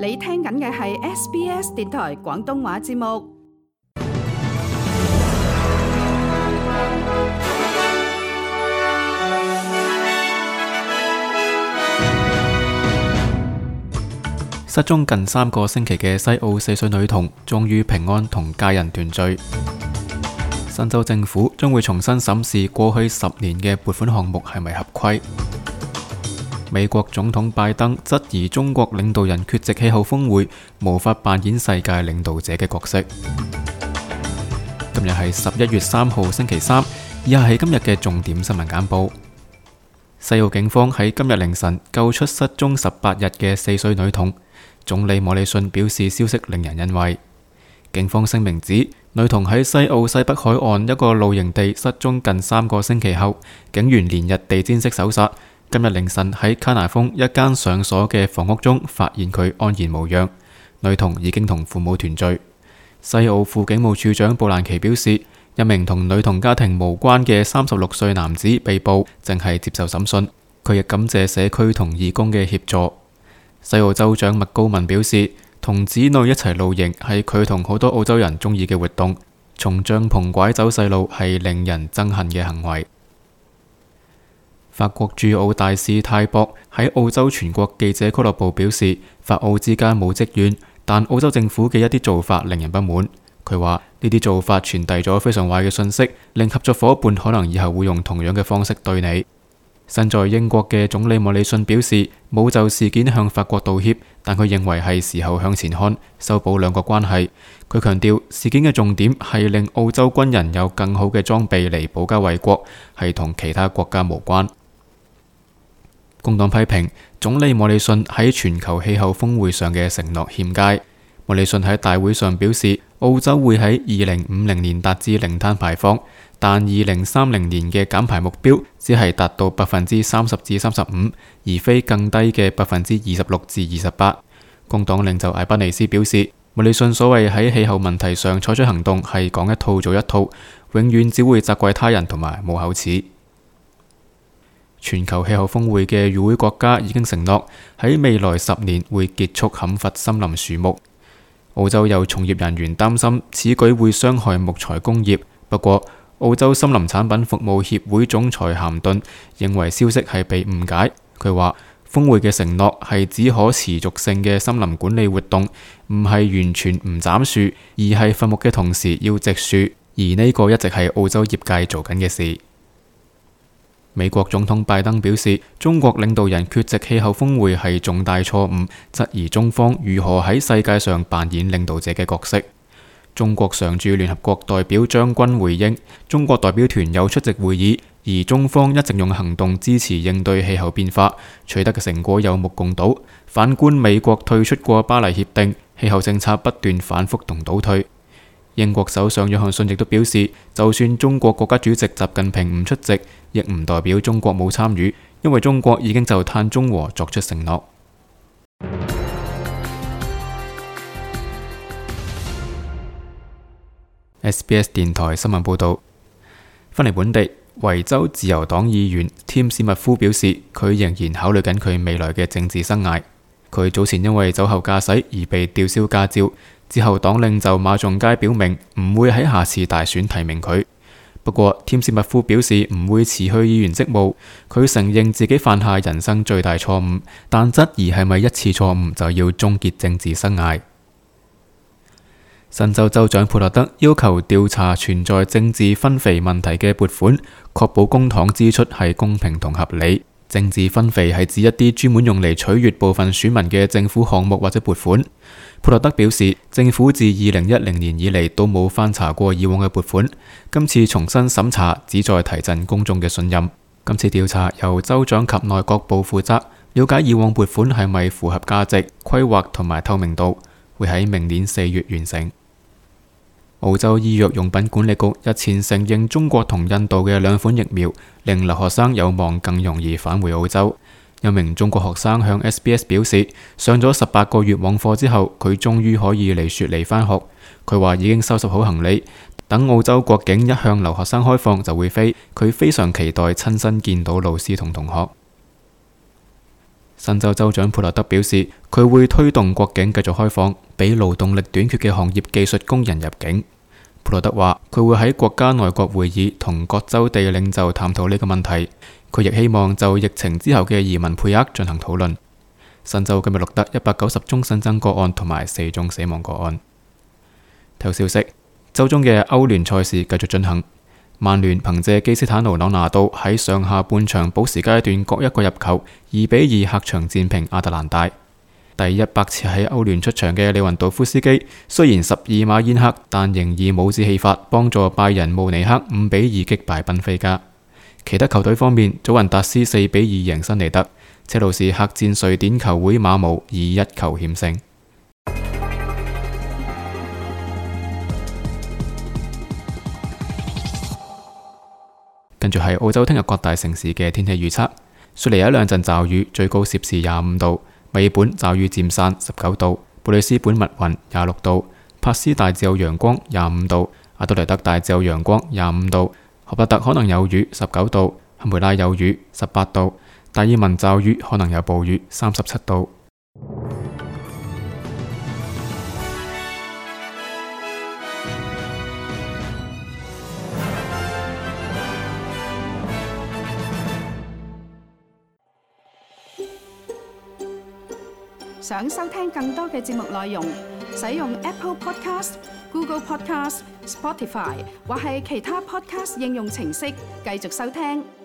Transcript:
你聽緊嘅係 SBS 電台廣東話節目。失蹤近3個星期嘅西澳4歲女童終於平安同家人團聚。新州政府將會重新審視過去10年嘅撥款項目係咪合規。美國總統拜登質疑中國領導人缺席氣候峰會，無法扮演世界領導者嘅角色。今日係11月3號星期三，以下係今日嘅重點新聞簡報。西澳警方喺今日凌晨救出失蹤18日嘅4歲女童。總理莫里遜表示消息令人欣慰。警方聲明指，女童喺西澳西北海岸一個露營地失蹤近3個星期後，警員連日地毯式搜索，今日凌晨喺卡拿豐一間上鎖嘅房屋中發現佢安然無恙。女童已經同父母團聚。西澳副警務處長布蘭奇表示，一名同女童家庭無關嘅36歲男子被捕，正係接受審訊。佢亦感謝社區同義工嘅協助。西澳州長麥高文表示，同子女一齊露營係佢同好多澳洲人中意嘅活動，從帳篷拐走細路係令人憎恨嘅行為。法國駐澳大使泰博喺澳洲全國記者俱樂部表示，法澳之間冇積怨，但澳洲政府嘅一啲做法令人不滿。佢話呢啲做法傳遞咗非常壞嘅信息，令合作夥伴可能以後會用同樣嘅方式對你。身在英國嘅總理莫里遜表示，冇就事件向法國道歉，但佢認為係時候向前看，修補兩國關係。佢強調事件嘅重點係令澳洲軍人有更好嘅裝備嚟保家衛國，係同其他國家無關。工黨批評總理莫里遜喺全球氣候峰會上嘅承諾欠佳。莫里遜喺大會上表示，澳洲會喺2050年達至零碳排放，但2030年嘅減排目標只係達到30%至35%，而非更低嘅26%至28%。工黨領袖艾巴尼斯表示，莫里遜所謂喺氣候問題上採取行動係講一套做一套，永遠只會責怪他人同埋冇口齒。全球氣候峰會嘅與會國家已經承諾喺未來10年會結束砍伐森林樹木。澳洲有從業人員擔心此舉會傷害木材工業，不過澳洲森林產品服務協會總裁咸頓認為消息係被誤解。佢話峰會嘅承諾係指可持續性嘅森林管理活動，唔係完全唔斬樹，而係伐木嘅同時要植樹，而呢個一直係澳洲業界做緊嘅事。美國總統拜登表示，中國領導人缺席氣候峰會係重大錯誤，質疑中方如何喺世界上扮演領導者嘅角色。中國常駐聯合國代表張軍回應，中國代表團有出席會議，而中方一直用行動支持應對氣候變化，取得嘅成果有目共睹。反觀美國退出過巴黎協定，氣候政策不斷反覆同倒退。英國首相約翰遜亦都表示，就算中國國家主席習近平唔出席，亦唔代表中國冇參與，因為中國已經就碳中和作出承諾。SBS 電台新聞報道，返嚟本地，維州自由黨議員添史密夫表示，佢仍然考慮緊佢未來嘅政治生涯。佢早前因為酒後駕駛而被吊銷駕照，之後黨領袖馬仲街表明唔會喺下次大選提名佢。不過，添史密夫表示唔會辭去議員職務。佢承認自己犯下人生最大錯誤，但質疑係咪一次錯誤就要終結政治生涯。新州州長佩洛德要求調查存在政治分肥問題嘅撥款，確保公帑支出係公平同合理。政治分肥係指一啲專門用嚟取悅部分選民嘅政府項目或者撥款。佩洛德表示，政府自2010年以嚟都冇翻查過以往嘅撥款，今次重新審查旨在提振公眾嘅信任。今次調查由州長及內閣部負責，了解以往撥款係咪符合價值、規劃同埋透明度，會喺明年4月完成。澳洲醫藥用品管理局日前承認中國同印度嘅2款疫苗令留學生有望更容易返回澳洲。有名中國學生向 SBS 表示，上咗18個月網課之後，佢終於可以嚟雪梨返學。佢話已經收拾好行李，等澳洲國境一向留學生開放就會飛。佢非常期待親身見到老師同同學。新州州長佩萊德表示，佢會推動國境繼續開放，俾勞動力短缺嘅行業技術工人入境。佩萊德話，佢會喺國家內閣會議同各州地領袖探討呢個問題。佢亦希望就疫情之後嘅移民配額進行討論。新州今日錄得190宗新增個案同埋4宗死亡個案。體育消息，周中嘅歐聯賽事繼續進行。曼聯憑借基斯坦奴·朗拿度喺上下半場補時階段各一個入球，2-2客場戰平亞特蘭大。第100次喺歐聯出場嘅利雲道夫斯基雖然12碼宴客，但仍以帽子戲法幫助拜仁慕尼黑5-2擊敗賓菲加。其他球隊方面，祖雲達斯4-2贏辛尼德，車路士客戰瑞典球會馬姆以1球險勝。跟住係澳洲聽日各大城市嘅天氣預測：雪梨有一兩陣驟雨，最高攝氏25度；墨爾本驟雨漸散19度；布里斯本密雲26度；帕斯大致有陽光25度；阿德萊德大致有陽光25度；荷伯特可能有雨19度；坎培拉有雨18度；達爾文驟雨可能有暴雨37度。想收聽更多嘅節目內容，使用 Apple Podcast、Google Podcast、Spotify 或係其他 Podcast 應用程式繼續收聽。